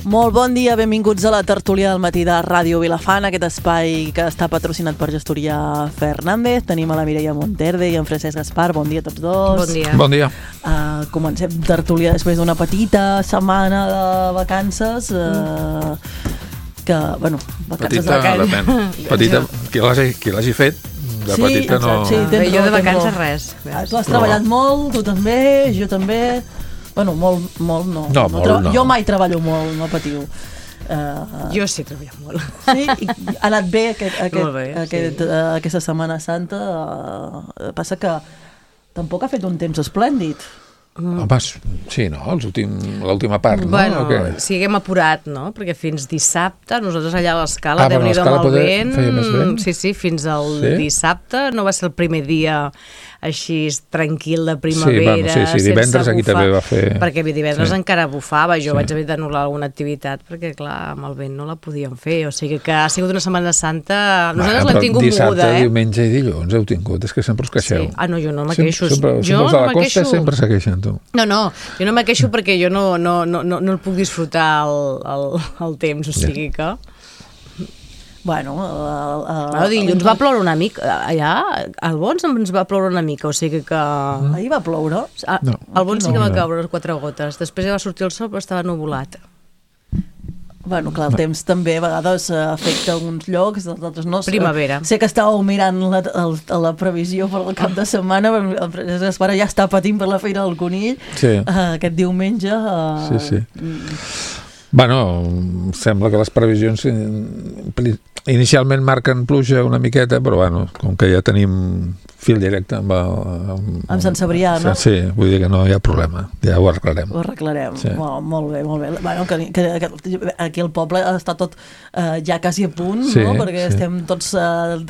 Molt bon dia, benvinguts a la tertúlia del matí de Ràdio Vilafant, aquest espai que està patrocinat per Gestoria Fernández. Tenim a la Mireia Monterde i en Francesc Gaspar. Bon dia a tots dos. Bon dia. Bon dia. Comencem tertúlia després d'una petita setmana de vacances. Que, bueno, vacances petita, qui l'hagi fet, de sí, petita exacte, no... Sí, jo de vacances res. Tu has treballat molt, tu també, jo també... Bueno, molt no. No. Jo mai treballo molt, no patiu. Jo sí treballo molt. Sí? I ha anat bé, sí. Aquesta Setmana Santa. Passa que tampoc ha fet un temps esplèndid. Home, sí, no? L'última part, no? Bueno, sí, haguem apurat, no? Perquè fins dissabte, nosaltres allà a l'Escala, Déu-n'hi-do amb el vent. Feia més vent? Sí, fins al dissabte. No va ser el primer dia així tranquil de primavera, sí, divendres aquí també va fer... Perquè divendres encara bufava, jo vaig haver d'anul·lar alguna activitat perquè, clar, amb el vent no la podíem fer, o sigui que ha sigut una Setmana Santa... Nosaltres l'hem tingut moguda, Dissabte, diumenge i dilluns heu tingut, és que sempre us queixeu. Sí. No, jo no me queixo. Sempre els de la costa sempre se queixen, tu. No, jo no me queixo perquè jo no el puc disfrutar el temps, o sigui que... Bueno, dilluns va ploure una mica, allà al Bons ens va ploure una mica, o sigui que... Ahir va ploure? Al Bons sí que va caure 4 gotes, després ja va sortir el sol però estava nuvolat. Bueno, clar, el temps també a vegades afecta alguns llocs, d'altres no. Primavera. Sé que estàveu mirant la previsió per al cap de setmana, però el Francesc Gaspar ja està patint per la Fira del Conill, aquest diumenge. Sí. Bueno, sembla que les previsions inicialment marquen pluja una miqueta, però bueno, com que ja tenim fil directe amb Sant Cebrià, no? Sí, vull dir que no hi ha problema, ja ho arreglarem. Ho arreglarem, sí. Molt bé. Bueno, que aquí el poble està tot ja quasi a punt, no? Perquè estem tots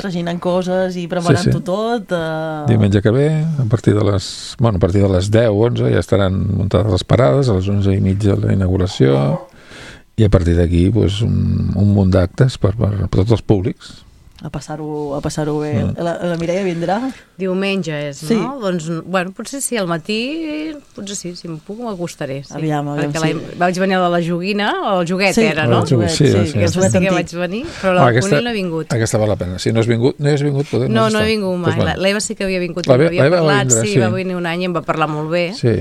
reginant coses i preparant-ho tot. Diumenge que ve, a partir de les 10 o 11 ja estaran muntades les parades, a les 11:30 la inauguració, i a partir d'aquí un munt d'actes per tots els públics. A passar-ho bé. La Mireia vindrà? Diumenge és, no? Sí. Doncs, bueno, potser sí, al matí, potser sí, si em puc m'acostaré. Sí. Aviam, perquè vaig venir a la Joguina, o el Joguet era, no? Sí. Aquesta sí que vaig venir, però la Conill no he vingut. Aquesta val la pena. Si no has vingut, podem no he vingut mai. L'Eva sí que havia vingut, havia parlat, va venir un any i em va parlar molt bé. Sí.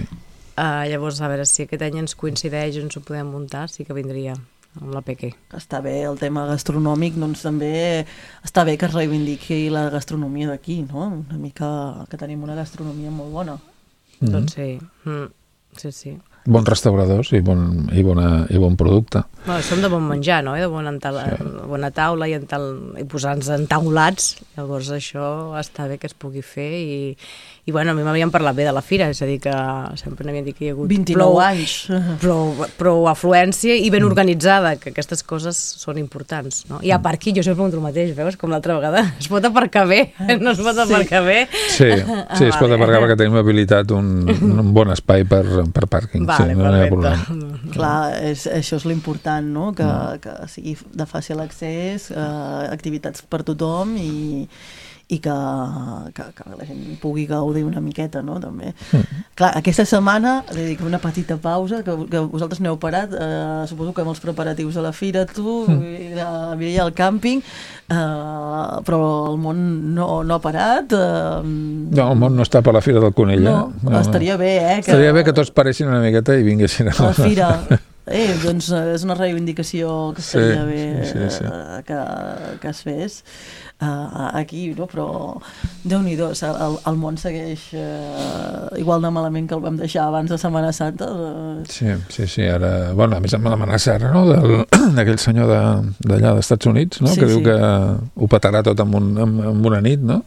Llavors, a veure si aquest any ens coincideix, ens ho podem muntar, sí que vindria amb la Peque. Està bé el tema gastronòmic, doncs també està bé que es reivindiqui la gastronomia d'aquí, no? Una mica que tenim una gastronomia molt bona. Doncs sí. Sí. Bons restauradors i bon producte. No, som de bon menjar, no? De bona taula i posar-nos entaulats. Llavors això està bé que es pugui fer i bueno, a mi m'havien parlat bé de la fira, és a dir que sempre n'havien dit que hi ha hagut 29 anys. Prou afluència i ben organitzada, que aquestes coses són importants, no? I a part aquí jo sempre pregunto el mateix, veus? Com l'altra vegada, es pot aparcar bé? No es pot aparcar bé? Sí, es pot aparcar perquè tenim habilitat un bon espai per pàrquing. Vale, no hi ha problema. Clar, això és l'important, no? Que sigui de fàcil accés, activitats per tothom i que la gent pugui gaudir una miqueta, no? També. Clar, aquesta setmana, dedico una petita pausa, que vosaltres n'heu parat, suposo que amb els preparatius a la fira, tu, la Mireia al càmping, però el món no ha parat. No, el món no està per la Fira del Conill. No, estaria bé, Estaria bé que tots paressin una miqueta i vinguessin a la fira. Doncs és una reivindicació que estaria bé que es fes aquí, no? Però Déu-n'hi-do, el món segueix igual de malament que el vam deixar abans de Setmana Santa. Sí, ara... Bueno, a més amb l'amenaça, no?, d'aquell senyor d'allà dels Estats Units, no?, que diu que ho petarà tot en una nit, no?,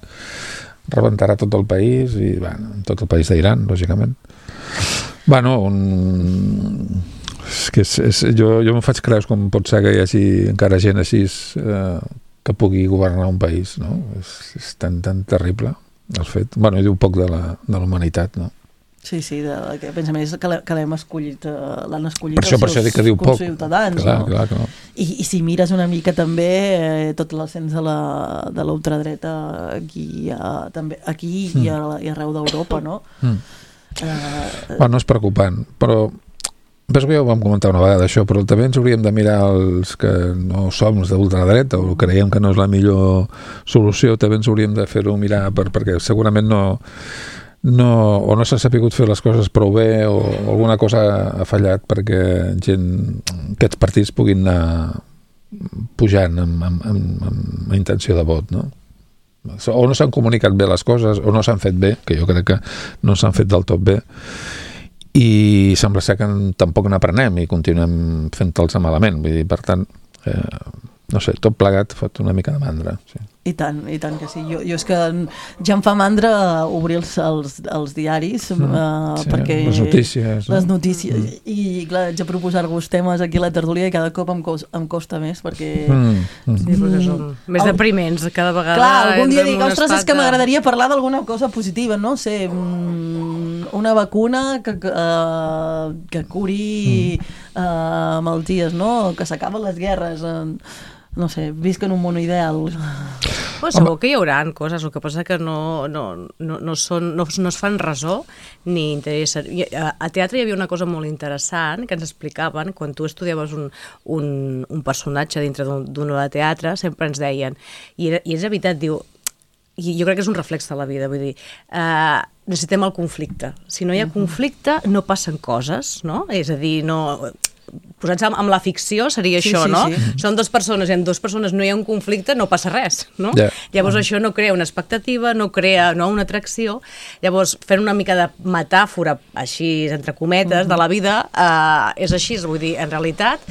rebentarà tot el país i, bueno, tot el país d'Iran, lògicament. Bueno, jo em faig creus com pot ser que hi hagi encara gent així que pugui governar un país, no? És tan terrible el fet. Bueno, i diu poc de la humanitat, no? Sí, que pensa més que l'han escollit els seus ciutadans. Clar. I si mires una mica també tot l'ascens de l'ultradreta aquí i arreu d'Europa, no? Bueno, és preocupant, però Penso que ja ho vam comentar una vegada, això, però també ens hauríem de mirar els que no som els d'ultradreta o creiem que no és la millor solució, també ens hauríem de fer-ho mirar perquè segurament o no s'ha sapigut fer les coses prou bé o alguna cosa ha fallat perquè aquests partits puguin anar pujant amb intenció de vot, no? O no s'han comunicat bé les coses o no s'han fet bé, que jo crec que no s'han fet del tot bé, i sembla ser que tampoc n'aprenem i continuem fent-los malament, vull dir, per tant no sé, tot plegat fot una mica de mandra, sí. I tant que sí. Jo és que ja em fa mandra obrir els diaris perquè les notícies i clar, haig de proposar-vos temes aquí a la tertúlia i cada cop em costa més perquè sí, perquè són més depriments cada vegada. Clar, algun dia dic, ostres, és que m'agradaria parlar d'alguna cosa positiva, no sé, una vacuna que curi malalties, no? Que s'acaben les guerres, no sé, visc en un món ideal. Pues segur que hi haurà coses, el que passa que no es fan ressò ni interessa. A teatre hi havia una cosa molt interessant que ens explicaven, quan tu estudiaves un personatge dintre d'una obra de teatre, sempre ens deien, i és veritat, diu, i jo crec que és un reflex de la vida, vull dir, necessitem el conflicte. Si no hi ha conflicte, no passen coses, no? És a dir, no... Posats amb la ficció seria això, no? Són dues persones i en dues persones no hi ha un conflicte, no passa res, no? Llavors això no crea una expectativa, no crea una atracció. Llavors fent una mica de metàfora, així entre cometes, de la vida, és així, vull dir, en realitat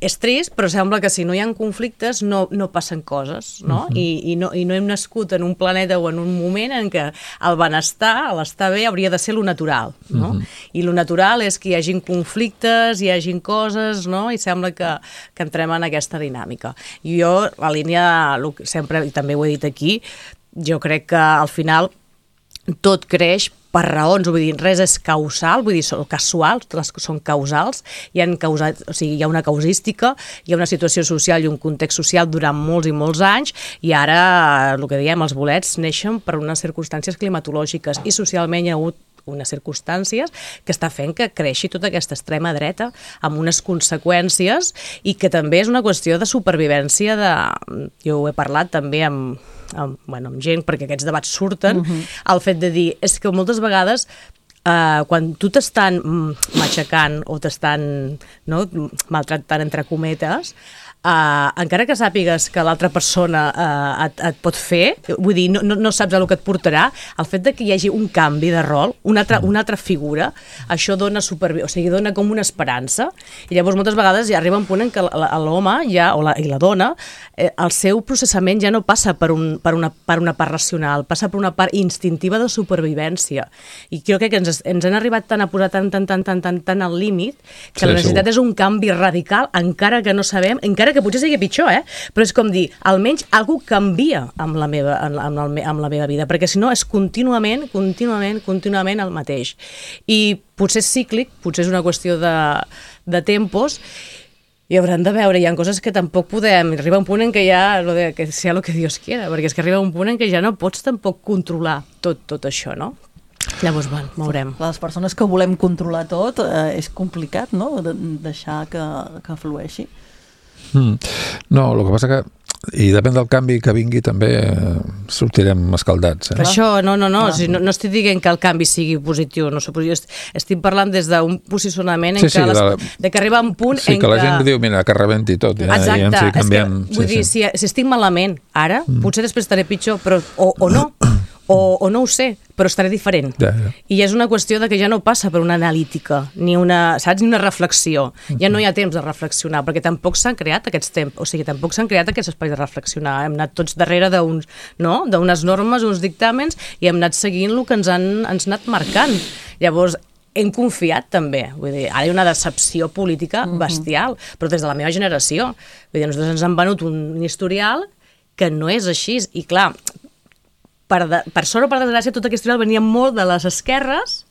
és trist, però sembla que si no hi ha conflictes no passen coses, no? I no hem nascut en un planeta o en un moment en què el benestar, l'estar bé, hauria de ser lo natural, no? I lo natural és que hi hagin conflictes, hi hagin coses, no? I sembla que entrem en aquesta dinàmica. I jo, la línia, sempre, i també ho he dit aquí, jo crec que al final tot creix per raons, vull dir, res és causal, vull dir, són casuals, són causals, hi ha una causística, hi ha una situació social i un context social durant molts i molts anys, i ara, el que diem, els bolets neixen per unes circumstàncies climatològiques i socialment hi ha hagut unes circumstàncies que està fent que creixi tota aquesta extrema dreta amb unes conseqüències i que també és una qüestió de supervivència jo ho he parlat també amb gent, perquè aquests debats surten, el fet de dir, és que moltes vegades quan tu t'estan matxacant o t'estan maltractant entre cometes, encara que sàpigues que l'altra persona et pot fer, vull dir, no saps el que et portarà, el fet de que hi hagi un canvi de rol, una altra figura, això dona dona com una esperança, i llavors moltes vegades ja arriba un punt en què l'home i la dona, el seu processament ja no passa per una part racional, passa per una part instintiva de supervivència, i crec que ens han arribat tant a posar tant al límit que la necessitat és un canvi radical, encara que no sabem, encara que potser sigui pitjor, però és com dir, almenys algú canvia amb la meva vida, perquè si no és contínuament el mateix. I potser és cíclic, potser és una qüestió de tempos, i haurem de veure, hi ha coses que tampoc podem, arriba un punt en què ja, que sea lo que Dios quiera, perquè és que arriba un punt en què ja no pots tampoc controlar tot això, no? Llavors, veurem. Les persones que volem controlar tot, és complicat, no?, deixar que flueixi. No, el que passa que i depèn del canvi que vingui també sortirem escaldats. Això, no, estic dient que el canvi sigui positiu, no sé, estic parlant des d'un posicionament en de que arriba un punt en què... Sí, que la gent diu, mira, que rebenti tot. Exacte, és que, vull dir, si estic malament ara, potser després estaré pitjor, però o no, o no ho sé, però estaré diferent. I és una qüestió de que ja no passa per una analítica, ni una reflexió. Ja no hi ha temps de reflexionar, perquè tampoc s'han creat aquests temps, o sigui, tampoc s'han creat aquests espais de reflexionar. Hem anat tots darrere d'unes normes, uns dictàmens, i hem anat seguint el que ens han anat marcant. Llavors, hem confiat també, vull dir, ara hi ha una decepció política bestial, però des de la meva generació. Vull dir, nosaltres ens han venut un historial que no és així, i clar, per sort o per desgràcia, tota aquesta historial venia molt de les esquerres,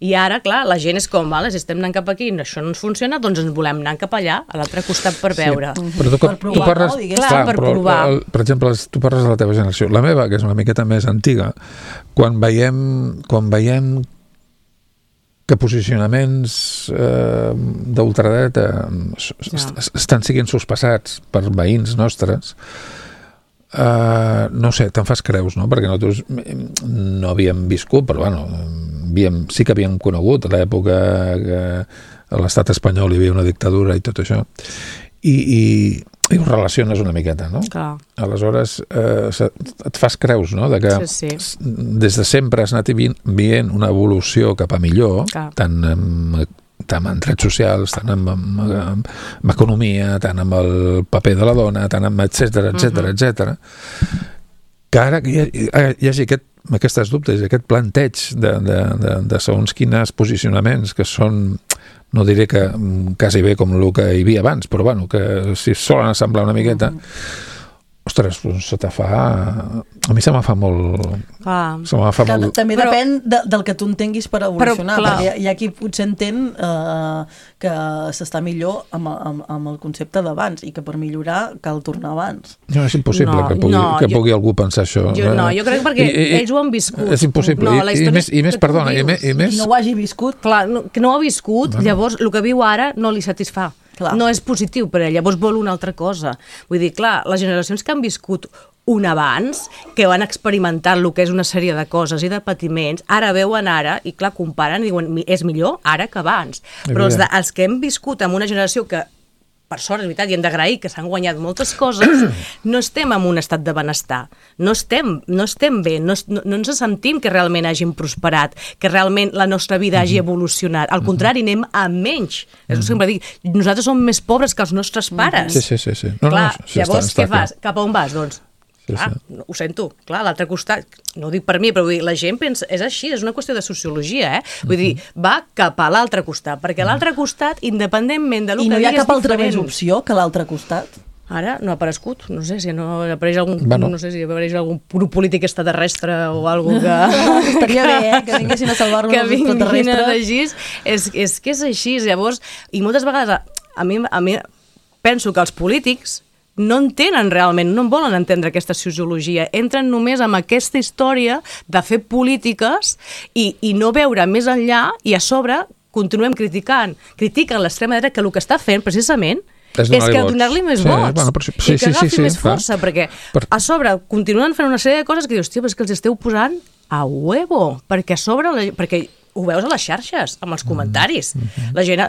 i ara, clar, la gent és com, si estem anant cap aquí i això no ens funciona, doncs ens volem anar cap allà, a l'altre costat per veure. Però tu parles... per provar. Per exemple, tu parles de la teva generació. La meva, que és una miqueta més antiga, quan veiem que posicionaments d'ultradreta estan siguent sospassats per veïns nostres, no sé, te'n fas creus, no? Perquè nosaltres no havíem viscut, però bueno, sí que havíem conegut a l'època que a l'estat espanyol hi havia una dictadura i tot això, i ho relaciones una miqueta, no? Clar. Aleshores et fas creus, no? De que des de sempre has anat veient una evolució cap a millor, tant en drets socials, tant en economia, tant amb el paper de la dona, tant amb etcètera, que ara hi hagi aquestes dubtes, aquest planteig de segons quins posicionaments que són, no diré que quasi bé com el que hi havia abans, però bueno, que si solen assemblar una miqueta, ostres, se te fa... A mi se me fa molt... També depèn del que tu entenguis per evolucionar, perquè hi ha qui potser entén que s'està millor amb el concepte d'abans i que per millorar cal tornar abans. No, és impossible que pugui algú pensar això. No, jo crec perquè ells ho han viscut. És impossible. I més, perdona, i més... no ho hagi viscut. Clar, que no ho ha viscut, llavors el que viu ara no li satisfà. Clar. No és positiu per ell, llavors vol una altra cosa. Vull dir, clar, les generacions que han viscut un abans, que van experimentar el que és una sèrie de coses i de patiments, ara veuen ara, i clar, comparen i diuen, és millor ara que abans. Però els que hem viscut en una generació que, per sort, és veritat, i hem d'agrair que s'han guanyat moltes coses, no estem en un estat de benestar, no estem bé, no ens sentim que realment hàgim prosperat, que realment la nostra vida hagi evolucionat. Al contrari, anem a menys. És el que sempre dic, nosaltres som més pobres que els nostres pares. Sí. Clar, llavors, què fas? Cap a on vas, doncs? Clar, ho sento, clar, a l'altre costat, no ho dic per mi, però vull dir, la gent pensa, és així, és una qüestió de sociologia, Vull dir, va cap a l'altre costat, perquè l'altre costat, independentment del que diguis, és diferent. I no hi ha cap altra més opció que l'altre costat? Ara no ha aparegut, no sé si no apareix algun, no sé si apareix algun grup polític extraterrestre o algú que... Estaria bé, que vinguessin a salvar-nos els extraterrestres. És que és així, llavors, i moltes vegades a mi penso que els polítics no entenen realment, no en volen entendre aquesta sociologia, entren només amb aquesta història de fer polítiques i no veure més enllà, i a sobre continuem critiquen l'extrema dreta, que el que està fent precisament és que donar-li més vots i que agafi més força, perquè a sobre continuen fent una sèrie de coses que dius, hòstia, però és que els esteu posant a huevo, perquè a sobre, perquè ho veus a les xarxes, amb els comentaris. La gent,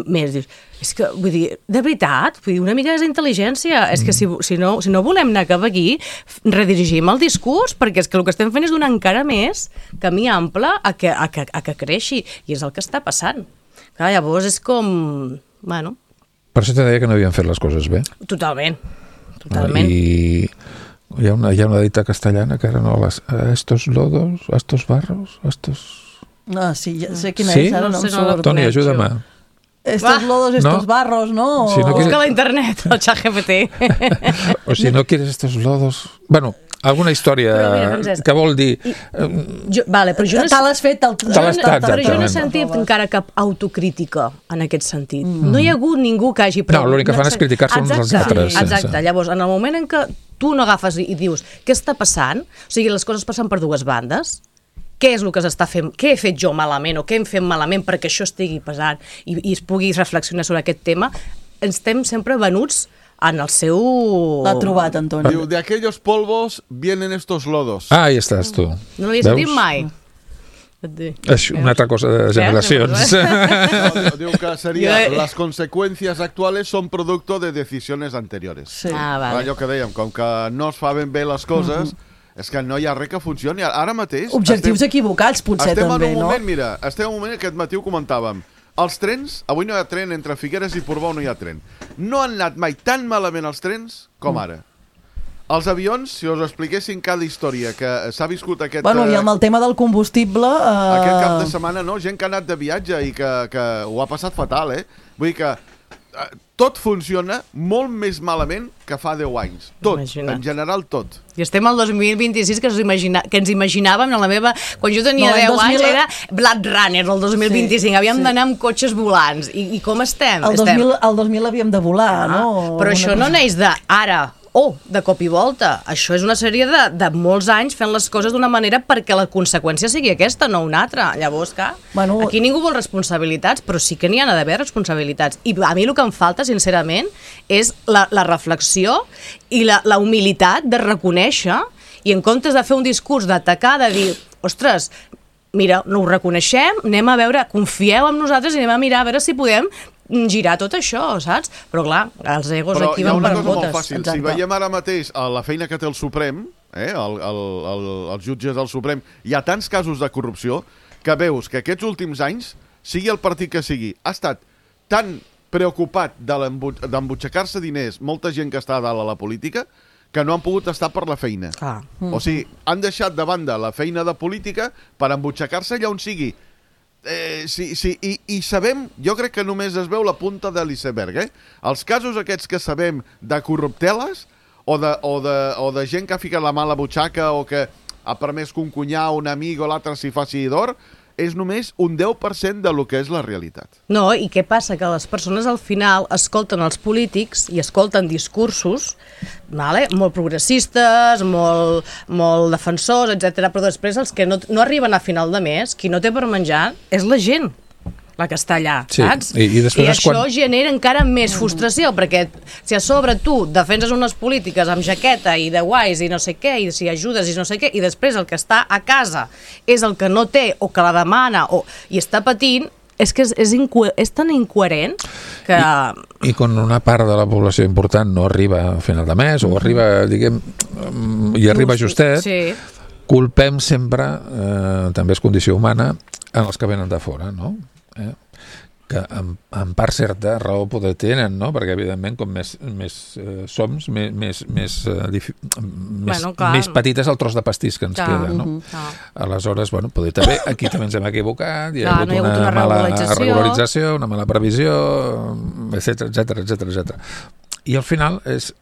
més, dius, és que, vull dir, de veritat, vull dir, una mica d'intel·ligència, és que si no volem anar cap aquí, redirigim el discurs, perquè és que el que estem fent és donar encara més camí ample a que creixi, i és el que està passant. Clar, llavors és com, bueno... Per això te deia que no havien fet les coses bé. Totalment. I hi ha una dita castellana que era, no, estos lodos, estos barros, estos... Ah, sí, ja sé quina és, ara no em surt. Toni, ajuda'm. Estos lodos, estos barros, ¿no? Busca a internet, el ChatGPT. O si no quieres estos lodos... Bueno, alguna història que vol dir... Vale, però jo no... Te l'has fet, però jo no he sentit encara cap autocrítica en aquest sentit. No hi ha hagut ningú que hagi... No, l'únic que fan és criticar-se uns als altres. Exacte, llavors, en el moment en què tu no agafes i dius què està passant, o sigui, les coses passen per dues bandes, què és el que s'està fent, què he fet jo malament o què hem fet malament perquè això estigui pesant i es pugui reflexionar sobre aquest tema, estem sempre venuts en el seu... L'ha trobat, Antoni. Diu, de aquellos polvos vienen estos lodos. Ah, hi estàs tu. No l'havia sentit mai. És una altra cosa de generacions. No, diu que seria, las consecuencias actuales son producto de decisiones anteriores. Sí. Vale. Allò que dèiem, com que no es fan ben bé les coses... És que no hi ha res que funcioni. Ara mateix... Objectius equivocats, potser, també, no? Estem en un moment que aquest matí ho comentàvem. Els trens, avui no hi ha tren, entre Figueres i Portbou no hi ha tren. No han anat mai tan malament els trens com ara. Els avions, si us expliquessin cada història que s'ha viscut aquest... Bueno, i amb el tema del combustible... Aquest cap de setmana, no? Gent que ha anat de viatge i que ho ha passat fatal, Vull dir que... tot funciona molt més malament que fa 10 anys. Tot, en general tot. I estem al 2026 que ens imaginàvem, quan jo tenia 10 anys era Blade Runner el 2025, havíem d'anar amb cotxes volants. I com estem? El 2000 havíem de volar, no? Però això no neix d'ara de cop i volta. Això és una sèrie de molts anys fent les coses d'una manera perquè la conseqüència sigui aquesta, no una altra. Llavors, clar, aquí ningú vol responsabilitats, però sí que n'hi ha d'haver responsabilitats. I a mi el que em falta, sincerament, és la reflexió i la humilitat de reconèixer, i en comptes de fer un discurs d'atacar, de dir, ostres, mira, no ho reconeixem, anem a veure, confieu en nosaltres i anem a mirar a veure si podem girar tot això, saps? Però clar, els egos aquí van per botes. Però hi ha una cosa molt fàcil. Si veiem ara mateix la feina que té el Suprem, els jutges del Suprem, hi ha tants casos de corrupció que veus que aquests últims anys, sigui el partit que sigui, ha estat tan preocupat d'embutxacar-se diners, molta gent que està a dalt a la política, que no han pogut estar per la feina. O sigui, han deixat de banda la feina de política per embutxacar-se allà on sigui. I sabem, jo crec que només es veu la punta de l'iceberg, Els casos aquests que sabem de corrupteles o de gent que ha ficat la mà a la butxaca o que ha permès que un cunyau, un amic o l'altre s'hi faci d'or, és només un 10% de lo que és la realitat. No, i què passa? Que les persones al final escolten els polítics i escolten discursos molt progressistes, molt defensors, etc. Però després els que no arriben a final de mes, qui no té per menjar, és la gent la que està allà, saps? I això genera encara més frustració, perquè si a sobre tu defenses unes polítiques amb jaqueta i de guais i no sé què, i si ajudes i no sé què, i després el que està a casa és el que no té o que la demana i està patint, és que és tan incoherent que... I quan una part de la població important no arriba a final de mes o arriba, diguem, i arriba justet, culpem sempre, també és condició humana, en els que venen de fora, no? Que en part certa raó poder tenen, no? Perquè evidentment com més som, més petit és el tros de pastís que ens queda, no? Aleshores, poder també, aquí també ens hem equivocat, hi ha hagut una mala regularització, una mala previsió, etcètera. I al final és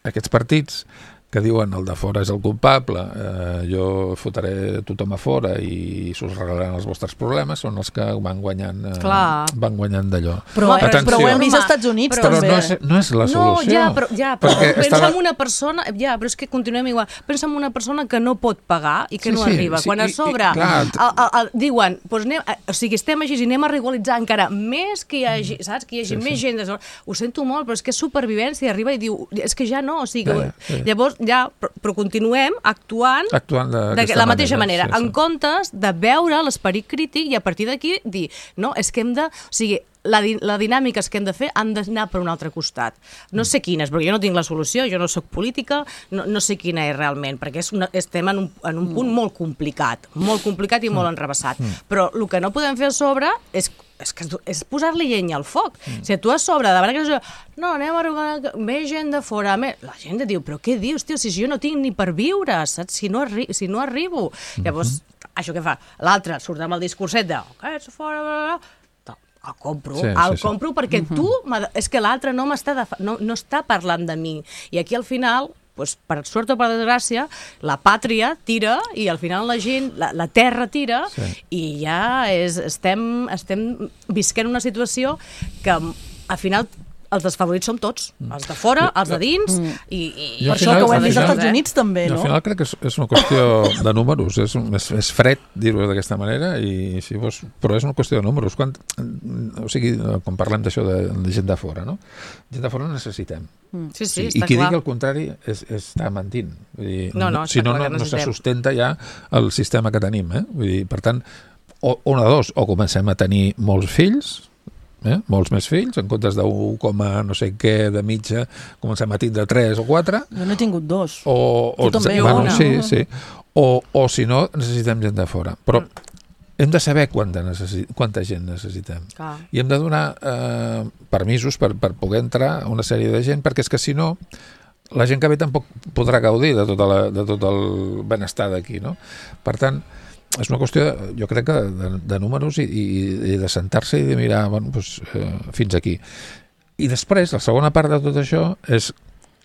aquests partits que diuen el de fora és el culpable, jo fotré tothom a fora i s'us regalaran els vostres problemes, són els que van guanyant d'allò. Però ho hem vist als Estats Units, però no és la solució. Però pensa en una persona, però és que continuem igual, pensa en una persona que no pot pagar i que no arriba. Quan a sobre diuen, o sigui, estem així i anem a regularitzar encara més que hi hagi, saps? Que hi hagi més gent. Ho sento molt, però és que és supervivència, arriba i diu, és que ja no, o sigui, llavors però continuem actuant de la mateixa manera, en comptes de veure l'esperit crític i a partir d'aquí dir, no, és que hem de... O sigui, la dinàmica que hem de fer han d'anar per un altre costat. No sé quines, perquè jo no tinc la solució, jo no soc política, no sé quina és realment, perquè estem en un punt molt complicat i molt enrevessat. Però el que no podem fer a sobre és posar-li llenya al foc. Si tu a sobre de que no, anem a regalar més gent de fora, la gent diu, però què dius, tio, si jo no tinc ni per viure, saps? Si no arribo. Llavors, això què fa? L'altre surt amb el discurset de aquests fora, el compro perquè tu... És que l'altre no està parlant de mi. I aquí al final, per sort o per desgràcia, la pàtria tira i al final la gent, la terra tira i ja estem visquent una situació que al final els desfavorits som tots, els de fora, els de dins, i per això que ho hem vist als Estats Units també, no? Al final crec que és una qüestió de números, és fred dir-ho d'aquesta manera, però és una qüestió de números. O sigui, quan parlem d'això de gent de fora, no? Gent de fora necessitem. Sí, està clar. I qui digui el contrari està mentint. Si no se sustenta ja el sistema que tenim. Vull dir, per tant, una de dos, o comencem a tenir molts fills, molts més fills, en comptes d'1, no sé què, de mitja, comencem a tindre 3 o 4. Jo no he tingut 2. Tu també, sí. O si no, necessitem gent de fora. Però hem de saber quanta gent necessitem. I hem de donar permisos per poder entrar una sèrie de gent, perquè és que si no, la gent que ve tampoc podrà gaudir de tot el benestar d'aquí, no? Per tant, és una qüestió, jo crec que de números i de sentar-se i de mirar fins aquí. I després, la segona part de tot això és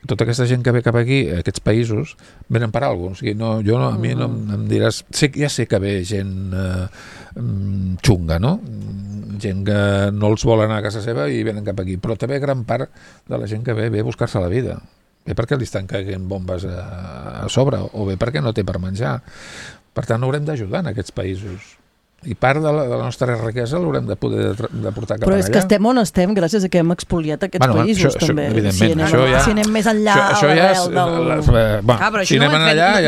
tota aquesta gent que ve cap aquí, aquests països, venen per alguna cosa. O sigui, a mi no em diràs... Ja sé que ve gent xunga, no? Gent que no els vol anar a casa seva i venen cap aquí. Però també gran part de la gent que ve a buscar-se la vida. bé perquè li estan caient bombes a sobre, o bé perquè no té per menjar. Per tant, haurem d'ajudar en aquests països. I part de la nostra riquesa l'haurem de poder de portar cap allà. Però és que estem on estem gràcies a que hem expoliat aquests països, també. Evidentment, si anem més enllà a l'arrel del... Però això no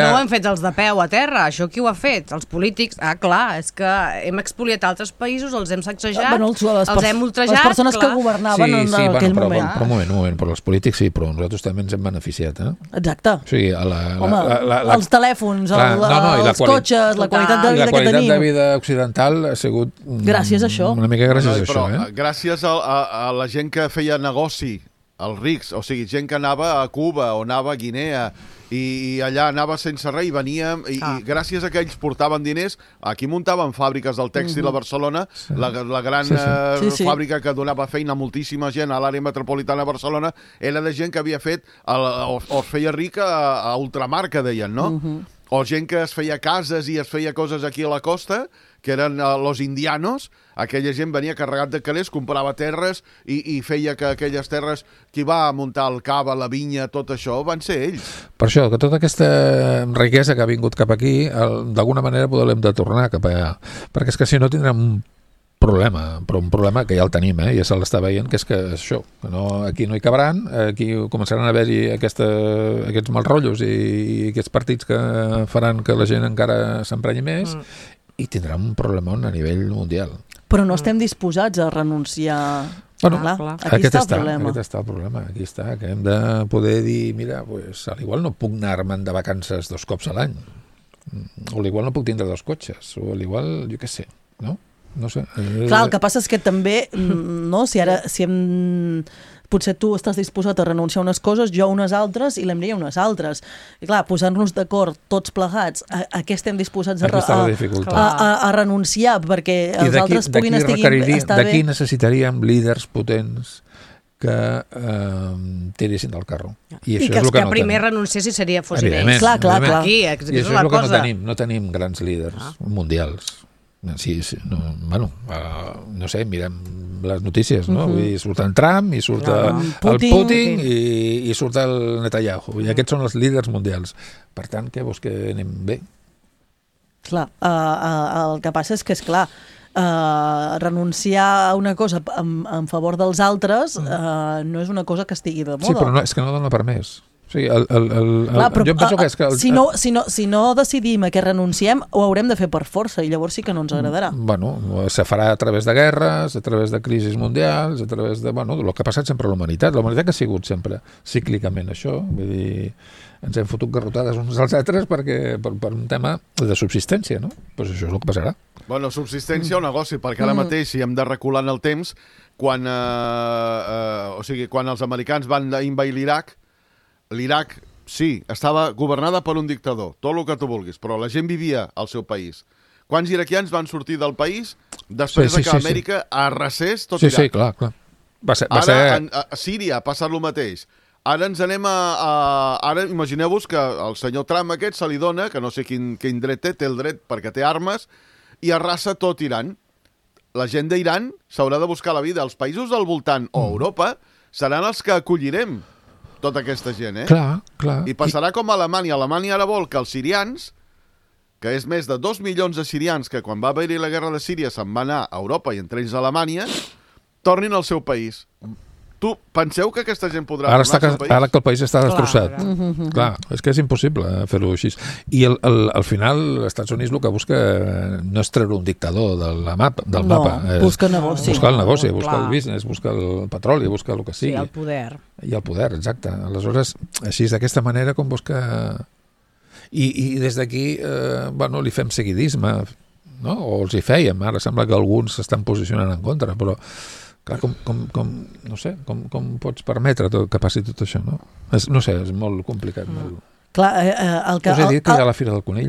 ho hem fet els de peu a terra, això qui ho ha fet? Els polítics? Clar, és que hem expoliat altres països, els hem sacsejat, els hem ultrajat... Les persones que governaven en aquell moment. Però un moment, però els polítics sí, però nosaltres també ens hem beneficiat, Exacte. O sigui, els telèfons, els cotxes, la qualitat de vida que tenim. La qualitat de vida occidental ha sigut gràcies a això. Una mica gràcies a això. Gràcies a la gent que feia negoci, els rics, o sigui, gent que anava a Cuba o anava a Guinea i allà anava sense res i venia i gràcies a que ells portaven diners, aquí muntaven fàbriques del tèxtil a Barcelona, la gran fàbrica que donava feina a moltíssima gent a l'àrea metropolitana de Barcelona era de gent que havia fet o es feia rica a ultramar, que deien, no? O gent que es feia cases i es feia coses aquí a la costa, que eren los indianos, aquella gent venia carregat de calés, comprava terres i feia que aquelles terres, qui va muntar el cava, la vinya, tot això, van ser ells. Per això, que tota aquesta riquesa que ha vingut cap aquí, d'alguna manera podem de tornar cap allà. Perquè és que si no tindrem un problema, però un problema que ja el tenim, ja se l'està veient, que és que això, que aquí no hi cabran, aquí començaran a haver-hi aquests mal rotllos i aquests partits que faran que la gent encara s'emprenyi més, i tindrà un problemón a nivell mundial. Però no estem disposats a renunciar... Clar. Aquí està el problema. Aquí està, que hem de poder dir, mira, pues, al igual no puc anar-me'n de vacances 2 cops a l'any, o al igual no puc tindre 2 cotxes, o al igual, jo què sé, no? No sé. Clar, el que passa és que també, no, si hem... Potser tu estàs disposat a renunciar a unes coses, jo a unes altres i l'Emili a unes altres. I clar, posar-nos d'acord tots plegats a què estem disposats a renunciar perquè els altres puguin estar bé. D'aquí necessitaríem líders potents que tiressin del carro. I que els que primer renunciessin fossin ells. Clar. Aquí, és la cosa. No tenim grans líders mundials. Sí, no sé, mirem les notícies, no? Vull dir, surt en Trump i surt el Putin i surt el Netanyahu, i aquests són els líders mundials. Per tant, què vols que anem bé? Clar, el que passa és que, esclar, renunciar a una cosa en favor dels altres no és una cosa que estigui de moda. Sí, però és que no dona per més. Sí, jo penso que és que... Si no decidim a què renunciem, ho haurem de fer per força, i llavors sí que no ens agradarà. Bueno, se farà a través de guerres, a través de crisis mundials, a través de... Bueno, el que ha passat sempre a la humanitat. La humanitat que ha sigut sempre cíclicament això. Vull dir, ens hem fotut garrotades uns als altres per un tema de subsistència, no? Doncs això és el que passarà. Bueno, subsistència o negoci, perquè ara mateix, si hem de recular en el temps, quan els americans van invadir l'Iraq, sí, estava governada per un dictador, tot el que tu vulguis, però la gent vivia al seu país. Quants iraquians van sortir del país després que Amèrica arrasés tot Iraq? Sí, clar. A Síria ha passat el mateix. Ara ens anem Ara imagineu-vos que el senyor Trump aquest se li dona, que no sé quin dret té el dret perquè té armes, i arrasa tot Iran. La gent d'Iran s'haurà de buscar la vida. Els països del voltant o Europa seran els que acollirem tota aquesta gent, Clar. I passarà com a Alemanya. Alemanya ara vol que els sirians, que és més de 2 milions de sirians que quan va haver-hi la guerra de Síria se'n va anar a Europa i entre ells a Alemanya, tornin al seu país. Tu penseu que aquesta gent podrà tornar al seu país? Ara que el país està destrossat. Clar, és que és impossible fer-ho així. I al final, els Estats Units el que busca no és treure un dictador del mapa. Busca negoci. Buscar el negoci, buscar el business, buscar el petroli, buscar el que sigui. Sí, el poder. I el poder, exacte. Aleshores, així, d'aquesta manera, com busca... I des d'aquí, li fem seguidisme, no? O els hi fèiem. Ara sembla que alguns s'estan posicionant en contra, però... Clar, no sé, com pots permetre que passi tot això, no? No sé, és molt complicat. Clar, el que... Us he dit que hi ha la Fira del Conill.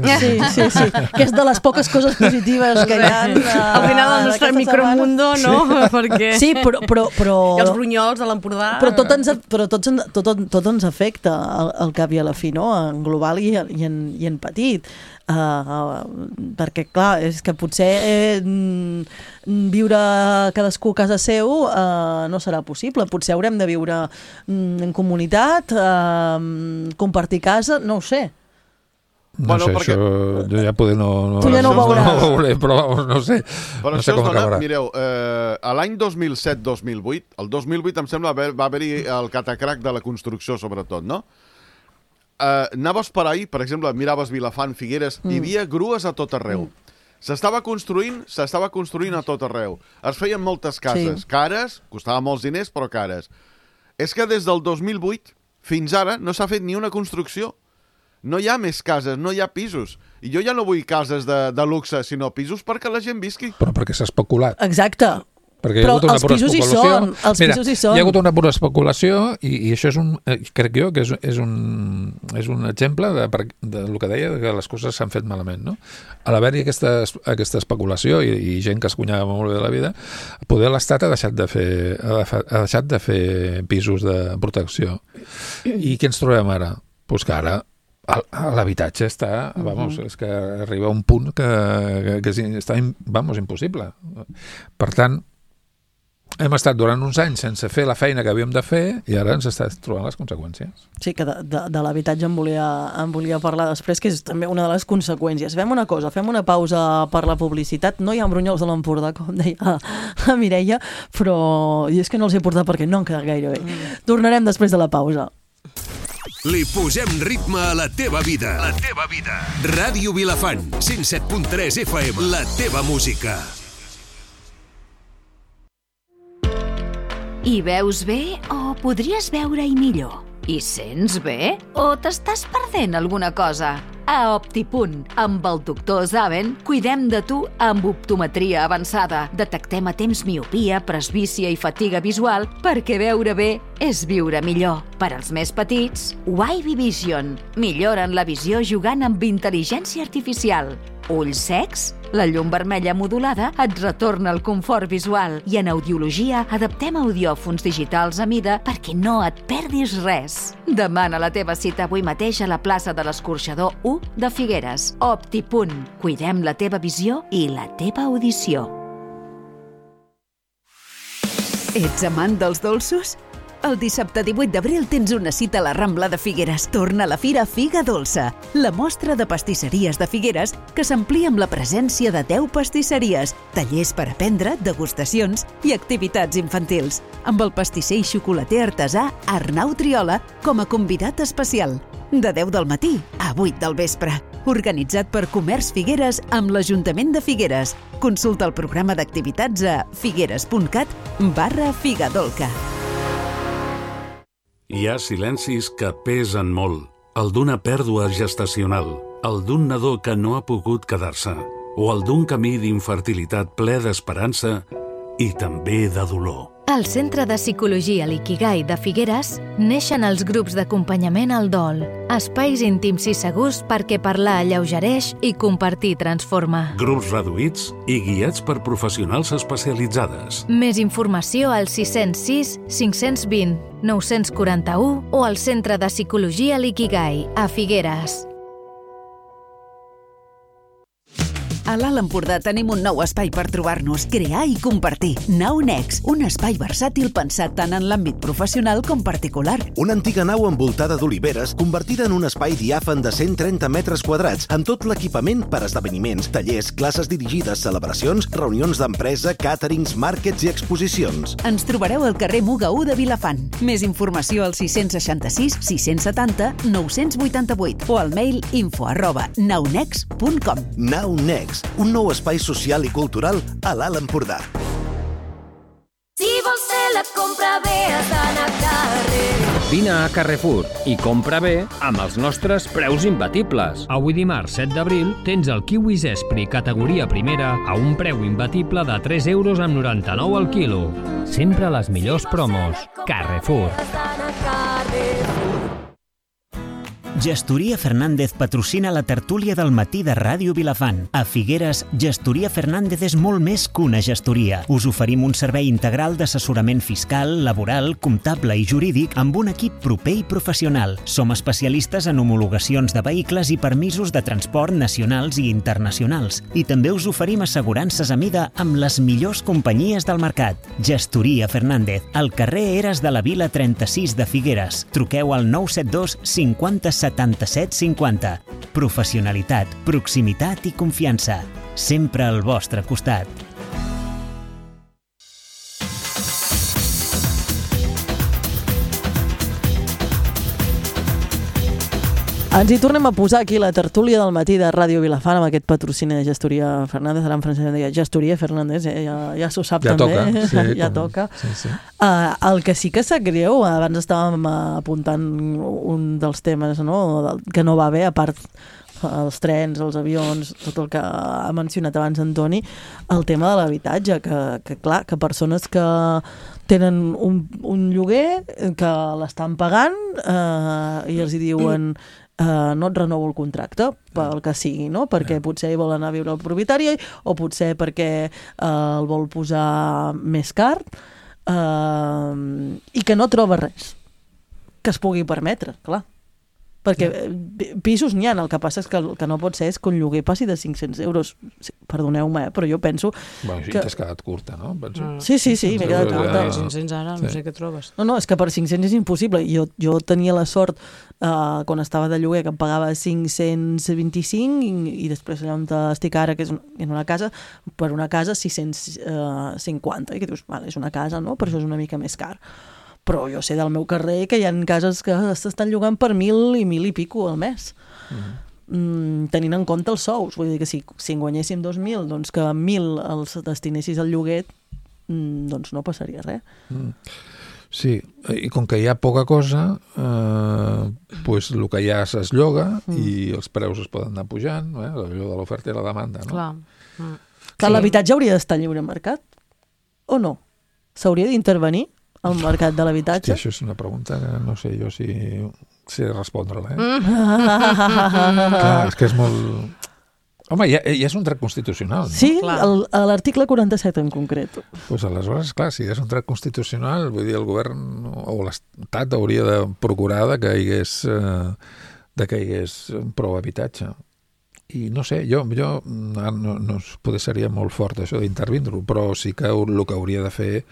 Sí, que és de les poques coses positives que hi ha. Al final del nostre micromundo, no? Perquè... Sí, però... I els brunyols de l'Empordà... Però tot ens afecta al cap i a la fi, no? En global i en petit. Perquè, clar, és que potser viure cadascú a casa seu no serà possible. Potser haurem de viure en comunitat, compartir casa, no ho sé. No sé, perquè... això jo ja poder tu ja no ho veuràs. No ho veuré, però no sé, però no sé com acabarà. Mireu, a l'any 2007-2008, el 2008 em sembla va haver-hi el catacrac de la construcció, sobretot, no? Anaves per ahir, per exemple, miraves Vilafant, Figueres, hi havia grues a tot arreu. S'estava construint a tot arreu. Es feien moltes cases, cares, costava molts diners, però cares. És que des del 2008 fins ara no s'ha fet ni una construcció. No hi ha més cases, no hi ha pisos. I jo ja no vull cases de luxe, sinó pisos perquè la gent visqui. Però perquè s'ha especulat. Exacte. Perquè hi ha hagut una pura especulació. Pisos hi són. Hi ha hagut una pura especulació i això és crec jo que és un exemple del que deia, que les coses s'han fet malament, no? A l'haver-hi aquesta especulació i gent que es guanyava molt bé de la vida, poder l'Estat ha deixat de fer pisos de protecció. I què ens trobem ara? Doncs que ara l'habitatge està, és que arriba a un punt que està, impossible. Per tant, hem estat durant uns anys sense fer la feina que havíem de fer i ara ens està trobant les conseqüències. Sí, que de l'habitatge em volia parlar després, que és també una de les conseqüències. Fem una cosa, fem una pausa per la publicitat. No hi ha brunyols de l'Empordà, com deia la Mireia, però i és que no els he portat perquè no han quedat gaire bé. Tornarem després de la pausa. Li posem ritme a la teva vida. La teva vida. Ràdio Vilafant, 107.3 FM, la teva música. Hi veus bé o podries veure-hi millor? Hi sents bé o t'estàs perdent alguna cosa? A Optipunt, amb el doctor Zaven, cuidem de tu amb optometria avançada. Detectem a temps miopia, presbícia i fatiga visual perquè veure bé és viure millor. Per als més petits, Wavy Vision. Milloren la visió jugant amb intel·ligència artificial. Ulls secs? La llum vermella modulada et retorna el confort visual i en audiologia adaptem audiòfons digitals a mida perquè no et perdis res. Demana la teva cita avui mateix a la plaça de l'Escorxador 1 de Figueres. Optipunt. Cuidem la teva visió i la teva audició. Ets amant dels dolços? El dissabte 18 d'abril tens una cita a la Rambla de Figueres. Torna a la Fira Figa Dolça, la mostra de pastisseries de Figueres que s'amplia amb la presència de 10 pastisseries, tallers per aprendre, degustacions i activitats infantils, amb el pastisser i xocolater artesà Arnau Triola com a convidat especial. De 10 del matí a 8 del vespre. Organitzat per Comerç Figueres amb l'Ajuntament de Figueres. Consulta el programa d'activitats a figueres.cat/figadolca. Hi ha silencis que pesen molt. El d'una pèrdua gestacional, el d'un nadó que no ha pogut quedar-se, o el d'un camí d'infertilitat ple d'esperança i també de dolor. Al Centre de Psicologia L'Ikigai de Figueres neixen els grups d'acompanyament al dol, espais íntims i segurs perquè parlar alleugereix i compartir transforma. Grups reduïts i guiats per professionals especialitzades. Més informació al 606 520 941 o al Centre de Psicologia L'Ikigai a Figueres. A l'Alt Empordà tenim un nou espai per trobar-nos, crear i compartir. Nau Next, un espai versàtil pensat tant en l'àmbit professional com particular. Una antiga nau envoltada d'oliveres convertida en un espai diàfan de 130 metres quadrats amb tot l'equipament per esdeveniments, tallers, classes dirigides, celebracions, reunions d'empresa, càterings, màrquets i exposicions. Ens trobareu al carrer Muga 1 de Vilafant. Més informació al 666 670 988 o al mail info@naunext.com. Nau Next, un nou espai social i cultural a l'Alt Empordà. Si vols fer la compra bé, has d'anar a carrer. Vine a Carrefour i compra bé amb els nostres preus imbatibles. Avui dimarts 7 d'abril tens el kiwi Zespri categoria primera a un preu imbatible de 3,99 € al quilo. Sempre les millors promos. Carrefour. Gestoria Fernández patrocina la tertúlia del matí de Ràdio Vilafant. A Figueres, Gestoria Fernández és molt més que una gestoria. Us oferim un servei integral d'assessorament fiscal, laboral, comptable i jurídic amb un equip proper i professional. Som especialistes en homologacions de vehicles i permisos de transport nacionals i internacionals. I també us oferim assegurances a mida amb les millors companyies del mercat. Gestoria Fernández, al carrer Eres de la Vila 36 de Figueres. Truqueu al 972 50 77 50. Professionalitat, proximitat i confiança. Sempre al vostre costat. Ens hi tornem a posar aquí la tertúlia del matí de Ràdio Vilafant amb aquest patrocini de Gestoria Fernández. Ara en francès em deia Gestoria Fernández, ja s'ho sap ja també. Toca, sí, ja toca. Sí. El que sí que sap greu, abans estàvem apuntant un dels temes, no? Que no va bé, a part els trens, els avions, tot el que ha mencionat abans Antoni, el tema de l'habitatge, que clar, que persones que tenen un lloguer, que l'estan pagant i els hi diuen no et renovo el contracte, pel que sigui, no? Perquè potser hi vol anar a viure el propietari o potser perquè el vol posar més car i que no troba res que es pugui permetre, clar. Perquè pisos n'hi ha, el que passa és que el que no pot ser és que un lloguer passi de 500 euros. Perdoneu-me, però jo penso... Bueno, sí, t'has quedat curta, no? Sí, m'he quedat curta. 500 ara, no sé què trobes. No, és que per 500 és impossible. Jo tenia la sort, quan estava de lloguer, que em pagava 525 i després allà on estic ara, que és en una casa, per una casa 650. I que dius, vale, és una casa, no? Per això és una mica més car. Però jo sé del meu carrer que hi ha cases que s'estan llogant per 1.000 i 1.000 i pico al mes. Tenint en compte els sous. Vull dir que si en guanyéssim 2.000, doncs que 1.000 els destinessis al lloguer, doncs no passaria res. Sí, i com que hi ha poca cosa, pues el que hi ha es lloga i els preus es poden anar pujant, allò de l'oferta i la demanda, no? Clar, l'habitatge hauria d'estar lliure mercat? O no? S'hauria d'intervenir al mercat de l'habitatge? Hòstia, això és una pregunta que no sé jo si sé respondre-la, Clar, és que és molt... Home, ja és un dret constitucional, no? Sí, l'article 47 en concret. Doncs aleshores, clar, si és un dret constitucional, vull dir, el govern o l'Estat hauria de procurar que hi hagués prou habitatge. I no sé, jo no potser seria molt fort això d'intervindre-ho, però sí que el que hauria de fer,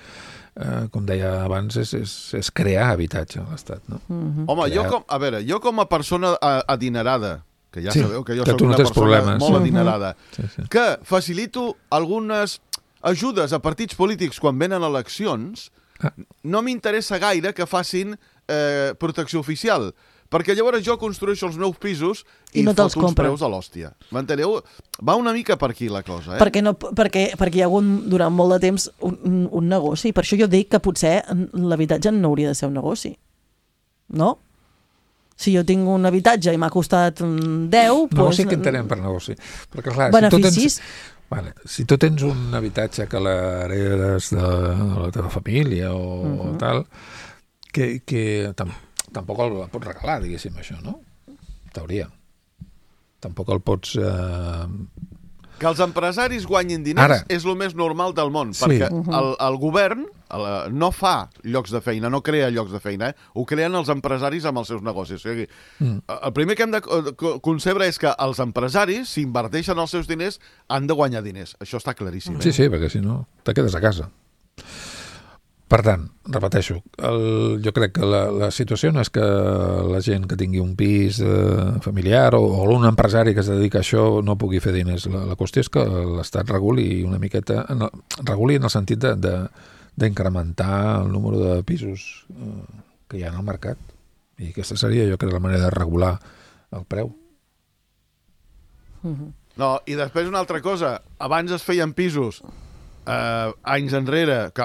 com deia abans, és crear habitatge a l'Estat, no? Home, jo com a persona adinerada, que ja sabeu que jo soc una persona molt adinerada, que facilito algunes ajudes a partits polítics quan venen eleccions, no m'interessa gaire que facin protecció oficial, perquè llavors jo construeixo els meus pisos i no foto uns preus a l'hòstia. M'enteneu? Va una mica per aquí la cosa, Perquè hi ha hagut durant molt de temps un negoci. Per això jo dic que potser l'habitatge no hauria de ser un negoci. No? Si jo tinc un habitatge i m'ha costat 10... Negoci que entenem per negoci. Perquè, clar, beneficis... Si tu tens un habitatge que l'heredes de la teva família o tal, que tampoc el pots regalar, diguéssim, això, no? Teoria. Tampoc el pots... Que els empresaris guanyin diners és el més normal del món, perquè el govern no fa llocs de feina, no crea llocs de feina, ho creen els empresaris amb els seus negocis. O sigui, el primer que hem de concebre és que els empresaris, si inverteixen els seus diners, han de guanyar diners. Això està claríssim. Sí, perquè si no, te quedes a casa. Per tant, repeteixo, jo crec que la situació no és que la gent que tingui un pis familiar o un empresari que es dedica a això no pugui fer diners. La qüestió és que l'Estat reguli una miqueta, reguli en el sentit d'incrementar el número de pisos que hi ha en el mercat. I aquesta seria, jo crec, la manera de regular el preu. No, i després una altra cosa. Abans es feien pisos anys enrere, que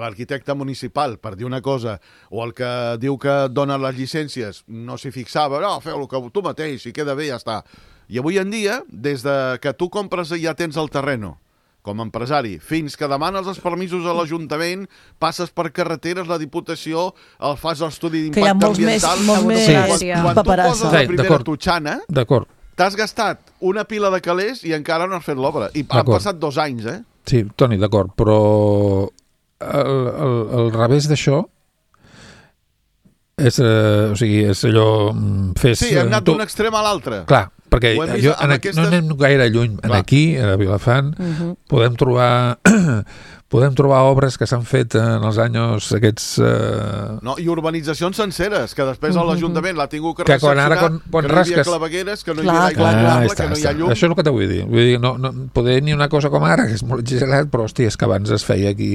l'arquitecte municipal, per dir una cosa, o el que diu que dona les llicències, no s'hi fixava, no, feu el que tu mateix, si queda bé, ja està. I avui en dia, des de que tu compres i ja tens el terreno, com a empresari, fins que demanes els permisos a l'Ajuntament, passes per carreteres, la Diputació, el fas l'estudi d'impacte ambiental... Molts més Quan tu poses la primera totxana, t'has gastat una pila de calés i encara no has fet l'obra. I han passat 2 anys, eh? Sí, Toni, d'acord, però el revés d'això és, o sigui, és allò... Sí, hem anat d'un extrem a l'altre. Clar, perquè no anem gaire lluny. Aquí, a Vilafant, podem trobar obres que s'han fet en els anys aquests... I urbanitzacions senceres, que després l'Ajuntament l'ha tingut que recepcionar, que no hi havia clavegueres, que no hi havia aigua potable, que no hi ha llum... Això és el que te vull dir. Vull dir, no poder ni una cosa com ara, que és molt exagerat, però, hòstia, és que abans es feia aquí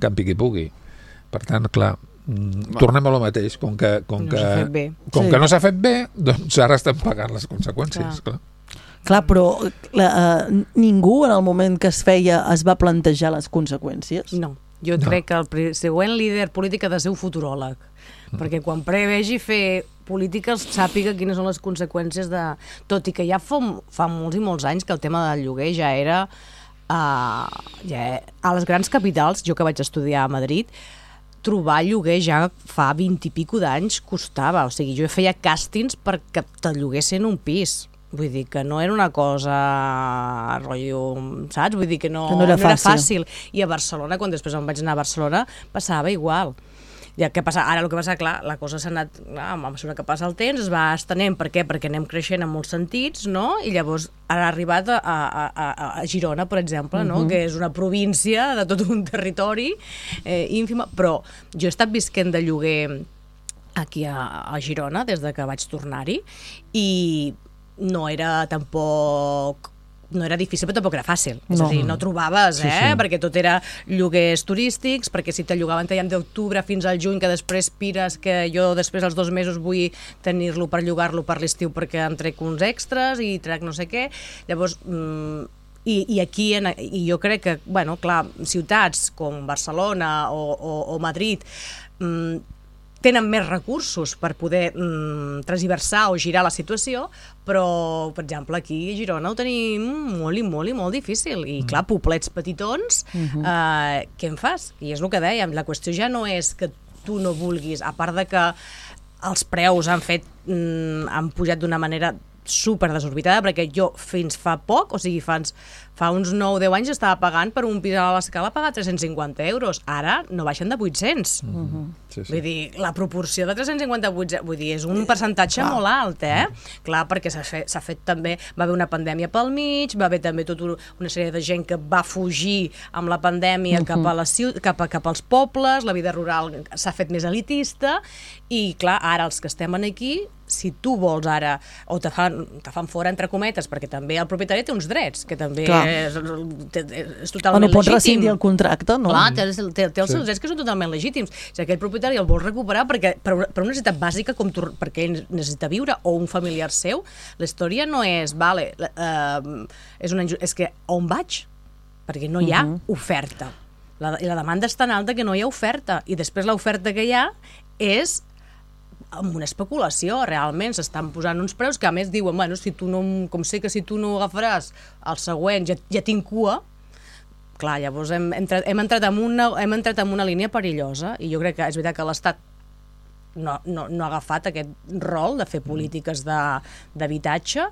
camp i qui pugui. Per tant, clar, tornem a lo mateix, com que no s'ha fet bé, doncs ara estem pagant les conseqüències, clar. Clar, però ningú en el moment que es feia es va plantejar les conseqüències? No, jo crec que el següent líder polític ha de ser un futuròleg, perquè quan prevegi fer polítiques sàpiga quines són les conseqüències de... Tot i que ja fa molts i molts anys que el tema del lloguer ja era a les grans capitals, jo que vaig estudiar a Madrid, trobar lloguer ja fa 20 i pico d'anys costava, o sigui, jo feia càstings perquè te'l lloguessin un pis. Vull dir que no era una cosa rotllo, saps? Vull dir que no era fàcil. I a Barcelona, quan després em vaig anar a Barcelona, passava igual. Ara el que passa, clar, la cosa s'ha anat, a mesura que passa el temps, es va estenent. Per què? Perquè anem creixent en molts sentits, no? I llavors ha arribat a Girona, per exemple, no? Que és una província de tot un territori ínfima, però jo he estat visquent de lloguer aquí a Girona des de que vaig tornar-hi i no era tampoc... No era difícil, però tampoc era fàcil. És a dir, no trobaves, perquè tot era lloguers turístics, perquè si te llogaven d'octubre fins al juny, que després pires, que jo després als 2 mesos vull tenir-lo per llogar-lo per l'estiu perquè em trec uns extras i trec no sé què. Llavors, i aquí, i jo crec que, bueno, clar, ciutats com Barcelona o Madrid tenen més recursos per poder transversar o girar la situació, però, per exemple, aquí a Girona ho tenim molt difícil. I, clar, poblets petitons, què en fas? I és el que dèiem, la qüestió ja no és que tu no vulguis, a part de que els preus han pujat d'una manera super desorbitada, perquè jo fins fa poc, o sigui, fa uns 9 o 10 anys estava pagant per un pis a l'Escala pagar 350 euros. Ara no baixen de 800. Vull dir, la proporció de 350 a 800, vull dir, és un percentatge molt alt, Clar, perquè s'ha fet també, va haver una pandèmia pel mig, va haver també tota una sèrie de gent que va fugir amb la pandèmia cap als pobles, la vida rural s'ha fet més elitista, i clar, ara els que estem aquí, si tu vols ara, o te fan fora entre cometes, perquè també el propietari té uns drets, que també és totalment legítim. No pots rescindir el contracte, no? Clar, té els seus drets que són totalment legítims. Si aquell propietari el vol recuperar per una necessitat bàsica, perquè ell necessita viure, o un familiar seu, la història no és, és que on vaig? Perquè no hi ha oferta. La demanda és tan alta que no hi ha oferta, i després l'oferta que hi ha és amb una especulació, realment s'estan posant uns preus que a més diuen, bueno, com sé que si tu no agafaràs el següent ja tinc cua, clar, llavors hem entrat en una línia perillosa, i jo crec que és veritat que l'Estat no ha agafat aquest rol de fer polítiques d'habitatge,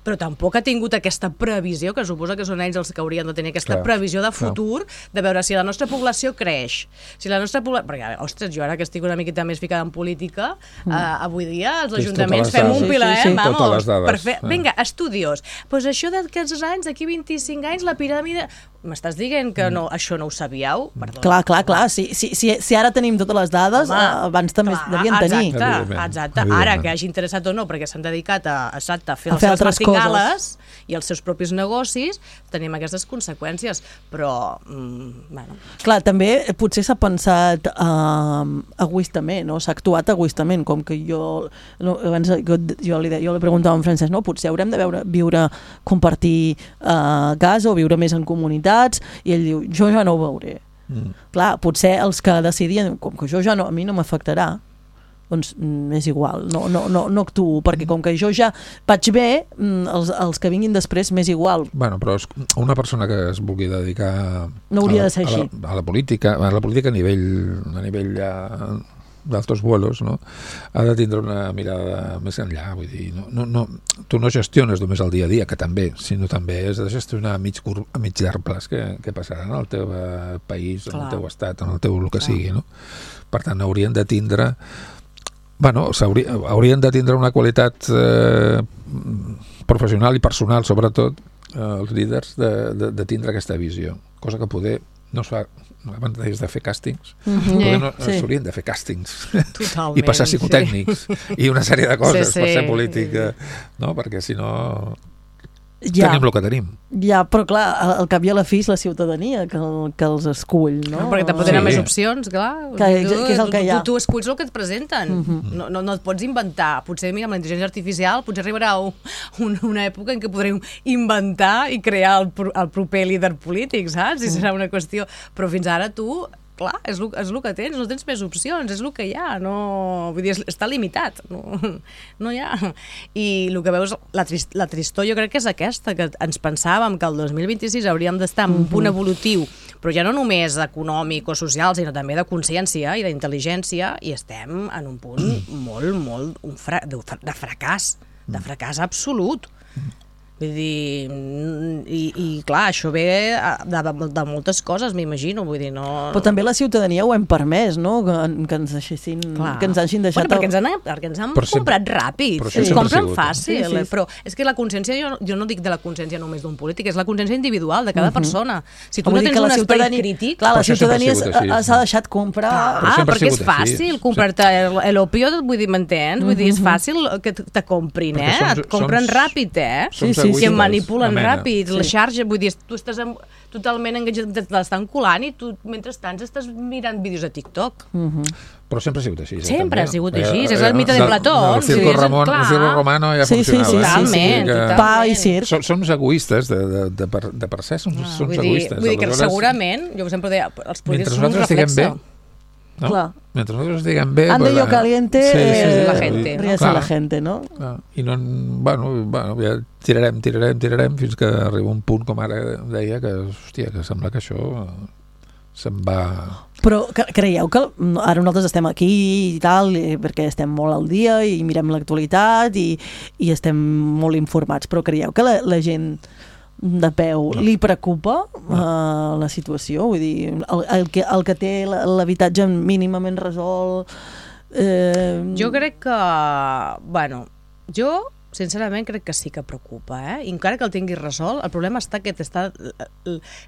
però tampoc ha tingut aquesta previsió, que suposa que són ells els que haurien de tenir aquesta previsió de futur, de veure si la nostra població creix. Si la nostra població... Perquè, ostres, jo ara que estic una miqueta més ficada en política, avui dia els ajuntaments fem un pilar, vamos, per fer... Vinga, estudios. Doncs això d'aquests anys, d'aquí 25 anys, la piràmide... M'estàs dient que això no ho sabíeu? Clar. Si ara tenim totes les dades, abans també devien tenir. Exacte. Ara, que hagi interessat o no, perquè s'han dedicat a fer les seves martingales i els seus propis negocis, tenim aquestes conseqüències. Però, bueno... Clar, també potser s'ha pensat egoistament, no? S'ha actuat egoistament, com que jo li preguntava a en Francesc, no? Potser haurem de compartir gas o viure més en comunitat, i ell diu, jo ja no ho veuré. Clar, potser els que decidien, com que jo ja no, a mi no m'afectarà, doncs és igual, no actuo, perquè com que jo ja vaig bé, els que vinguin després m'és igual. Bueno, però una persona que es vulgui dedicar no hauria de ser així. A la política a nivell ja d'altos vuelos, no? Ha de tindre una mirada més enllà, vull dir, tu no gestiones només el dia a dia, que també, sinó també has de gestionar a mig llarg plaç què passarà en el teu país, en el teu estat, en el teu el que sigui, no? Per tant, haurien de tindre haurien de tindre una qualitat professional i personal, sobretot els líders, de tindre aquesta visió, cosa que poder no es fa abans de fer càstings, s'haurien de fer càstings i passar psicotècnics i una sèrie de coses per ser polític, no? Perquè si no tenim el que tenim. Ja, però clar, al cap i a la fi és la ciutadania que els escull, no? Perquè tampoc tenen més opcions, clar. Que és el que hi ha. Tu esculls el que et presenten. No et pots inventar. Potser, mira, amb la intel·ligència artificial potser arribarà una època en què podrem inventar i crear el proper líder polític, saps? I serà una qüestió. Però fins ara tu... Clar, és el que tens, no tens més opcions, és el que hi ha, vull dir, està limitat, no hi ha. I el que veus, la tristor jo crec que és aquesta, que ens pensàvem que el 2026 hauríem d'estar en un punt evolutiu, però ja no només econòmic o social, sinó també de consciència i d'intel·ligència, i estem en un punt molt de fracàs absolut. Vull dir, i clar, això ve de moltes coses, m'imagino, vull dir, no... Però també la ciutadania ho hem permès, no? Que ens deixessin, que ens hagin deixat... Perquè ens han comprat ràpid, compren fàcil, però és que la consciència, jo no dic de la consciència només d'un polític, és la consciència individual de cada persona. Si tu no tens un espai crític... Clar, la ciutadania s'ha deixat comprar... Perquè és fàcil comprar-te l'opio, vull dir, m'entens? Vull dir, és fàcil que te comprin, et compren ràpid, i em manipulen ràpid, la xarxa, vull dir, tu estàs totalment enganxat, t'estan colant i tu, mentrestant, estàs mirant vídeos a TikTok. Però sempre ha sigut així. Sempre ha sigut així, és el mite de Plató. El circo romano ja funcionava. Totalment. Pa i circ. Som egoistes, de per ser som egoistes. Vull dir que segurament, jo sempre deia, els polítics són un reflexe. No? Mentre nosaltres estiguem bé... Ande yo caliente, la gente. Ríase la gente, no? I no, bueno, ja tirarem fins que arriba un punt, com ara deia, que, hòstia, que sembla que això se'n va... Però creieu que ara nosaltres estem aquí i tal, perquè estem molt al dia i mirem l'actualitat i estem molt informats, però creieu que la gent de peu li preocupa la situació? Vull dir, el que té l'habitatge mínimament resolt... Jo crec que... Bueno, jo sincerament crec que sí que preocupa, i encara que el tinguis resolt, el problema està que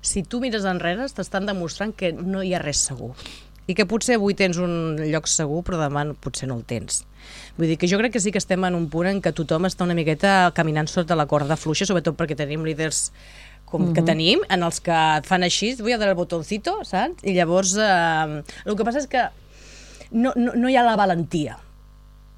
si tu mires enrere t'estan demostrant que no hi ha res segur i que potser avui tens un lloc segur però demà potser no el tens. Vull dir que jo crec que sí que estem en un punt en què tothom està una miqueta caminant sota la corda fluixa, sobretot perquè tenim líders com que tenim, en els que et fan així, vull a dar el botoncito, saps? I llavors el que passa és que no hi ha la valentia.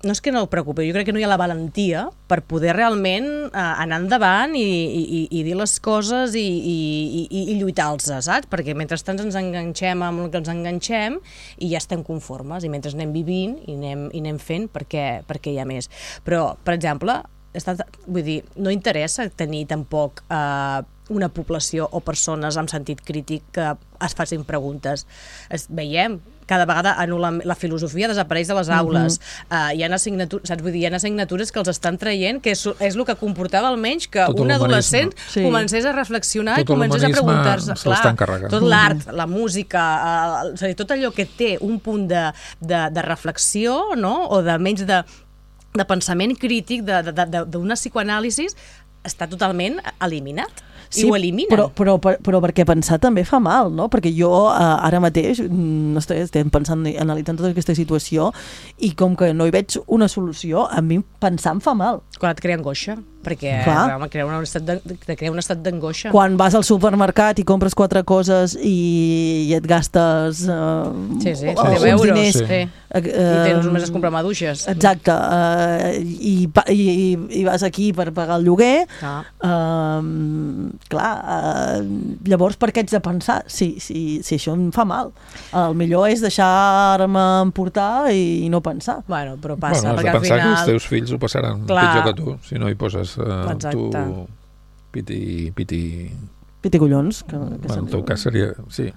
No és que no ho preocupi, jo crec que no hi ha la valentia per poder realment anar endavant i dir les coses i lluitar-los, saps? Perquè mentrestant ens enganxem amb el que ens enganxem i ja estem conformes, i mentre anem vivint i anem fent perquè hi ha més. Però, per exemple, vull dir, no interessa tenir tampoc una població o persones amb sentit crític que es facin preguntes. Veiem cada vegada la filosofia desapareix de les aules. Hi ha assignatures, saps? Vull dir, hi ha assignatures que els estan traient, que és el que comportava almenys que un adolescent comencés a reflexionar i comencés a preguntar-se. Tot l'art, la música, tot allò que té un punt de reflexió, o de menys de pensament crític, d'una psicoanàlisi, està totalment eliminat. I ho eliminen. Però perquè pensar també fa mal, no? Perquè jo ara mateix estem pensant, analitzant tota aquesta situació i com que no hi veig una solució, a mi pensar em fa mal. Quan et crea angoixa, perquè crea un estat d'angoixa. Quan vas al supermercat i compres 4 coses i et gastes 10 euros, i tens només es comprar maduixes. Exacte, i vas aquí per pagar el lloguer, clar, llavors per què ets de pensar si això em fa mal? El millor és deixar-me emportar i no pensar. Bueno, però passa, perquè al final... Has de pensar que els teus fills ho passaran pitjor que tu, si no hi poses tu piti collons. En el teu cas seria... Sí.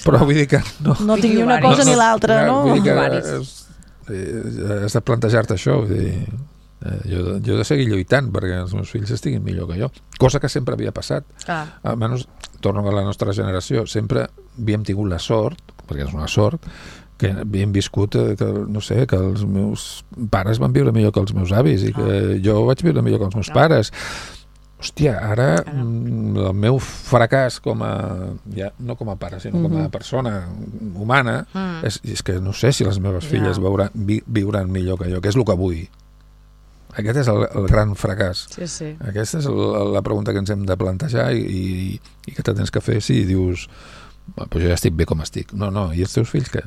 Però vull dir que no tingui una cosa ni l'altra, no? Vull dir que has de plantejar-te això, vull dir... Jo he de seguir lluitant perquè els meus fills estiguin millor que jo, cosa que sempre havia passat. Almenys, torno a la nostra generació, sempre havíem tingut la sort, perquè és una sort, que havíem viscut que els meus pares van viure millor que els meus avis i que jo vaig viure millor que els meus pares. Hòstia, ara el meu fracàs com a, ja, no com a pare, sinó com a persona humana, és que no sé si les meves filles viuran millor que jo, que és el que vull. Aquest és el gran fracàs. Sí. Aquesta és la pregunta que ens hem de plantejar i que te tens que fer si dius pues jo ja estic bé com estic. No, i els teus fills què?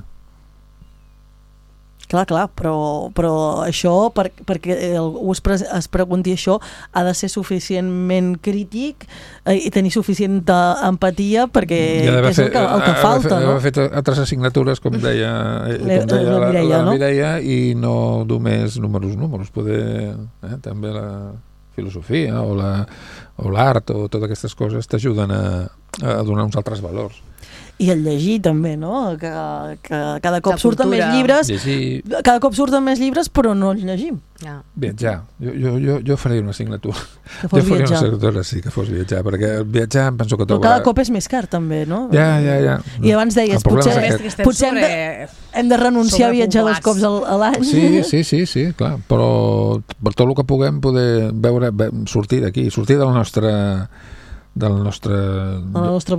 Clar, però això, perquè algú es pregunti això, ha de ser suficientment crític i tenir suficient empatia perquè és el que falta. Ha fet altres assignatures, com deia la Mireia, i no només números, poder també la filosofia o l'art o totes aquestes coses t'ajuden a donar uns altres valors. I el llegir també, no? Que cada cop surten més llibres, però no els llegim. Viatjar. Jo faré una assignatura. Sí, que fos viatjar, perquè viatjar em penso que però cada cop és més car també, no? Ja. I abans deies, potser hem de renunciar a viatjar 2 cops a l'any. Sí, clar, però per tot el que puguem poder sortir d'aquí, sortir del nostre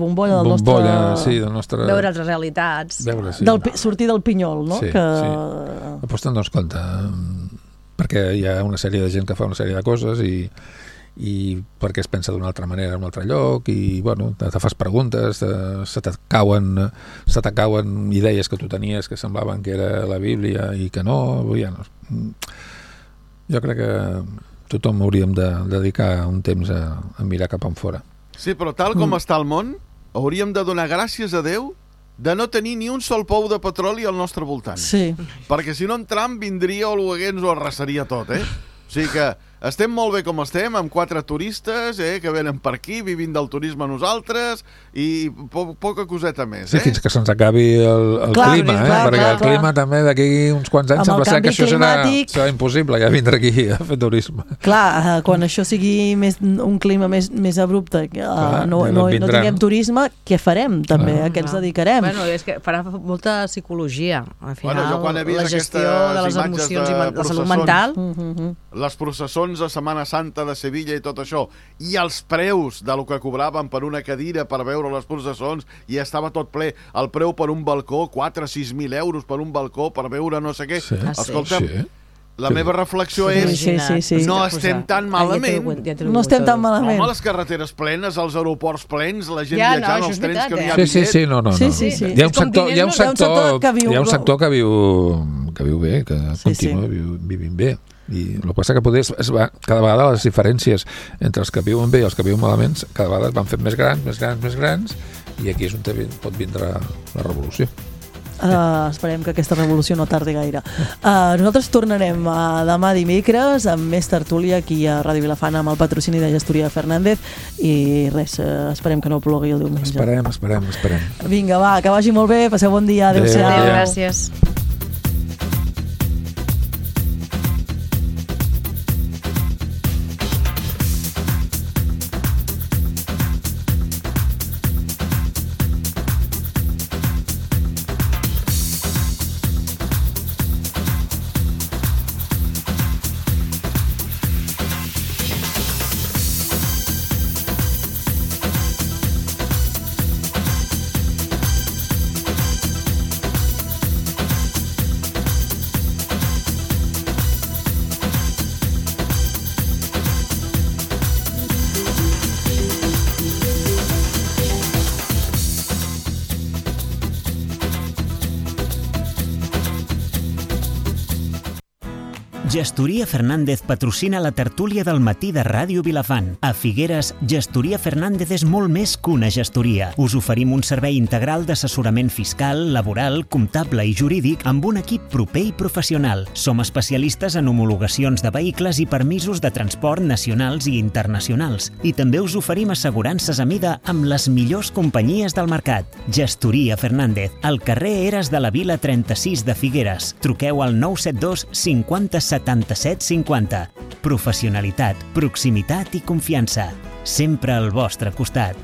bombolla, veure altres realitats, sortir del pinyol, no? Sí. Després te'n dones compte, perquè hi ha una sèrie de gent que fa una sèrie de coses i perquè es pensa d'una altra manera en un altre lloc i bueno, te fas preguntes, se t'acauen idees que tu tenies que semblaven que era la Bíblia i que no, jo crec que tothom hauríem de dedicar un temps a mirar cap enfora. Sí, però tal com està el món, hauríem de donar gràcies a Déu de no tenir ni un sol pou de petroli al nostre voltant. Sí. Perquè si no en Trump vindria o ens ho arrasaria tot, O sigui que estem molt bé com estem, amb 4 turistes que venen per aquí, vivint del turisme nosaltres, i poca coseta més. Sí, fins que se'ns acabi el clima, perquè el clima també d'aquí uns quants anys sembla ser que això serà impossible, ja vindre aquí a fer turisme. Clar, quan això sigui un clima més abrupte, no tinguem turisme, què farem també? A què ens dedicarem? Bueno, és que farà molta psicologia. Al final, la gestió de les emocions i la salut mental... Les processons de Setmana Santa de Sevilla i tot això, i els preus de lo que cobraven per una cadira per veure les processons, i estava tot ple, el preu per un balcó, 4.000-6.000 euros per un balcó per veure no sé què. Escolta'm, la meva reflexió és no estem tan malament. No estem tan malament. Home, les carreteres plenes, els aeroports plens, la gent viatjant, els trens que no hi ha bitllet. Sí, no. Hi ha un sector que viu bé, que continua vivint bé. I el que passa que cada vegada les diferències entre els que viuen bé i els que viuen malament cada vegada es van fent més grans i aquí és on pot vindre la revolució. Esperem que aquesta revolució no tardi gaire. Nosaltres tornarem demà dimecres amb més tertúlia aquí a Ràdio Vilafant amb el patrocini de Gestoria Fernández i res, esperem que no plogui el diumenge. Esperem. Vinga, va, que vagi molt bé, passeu bon dia, adéu-siau. Adéu, gràcies. Gestoria Fernández patrocina la tertúlia del matí de Ràdio Vilafant. A Figueres, Gestoria Fernández és molt més que una gestoria. Us oferim un servei integral d'assessorament fiscal, laboral, comptable i jurídic amb un equip proper i professional. Som especialistes en homologacions de vehicles i permisos de transport nacionals i internacionals. I també us oferim assegurances a mida amb les millors companyies del mercat. Gestoria Fernández, al carrer Eres de la Vila 36 de Figueres. Truqueu al 972 50 77 50. Professionalitat, proximitat i confiança. Sempre al vostre costat.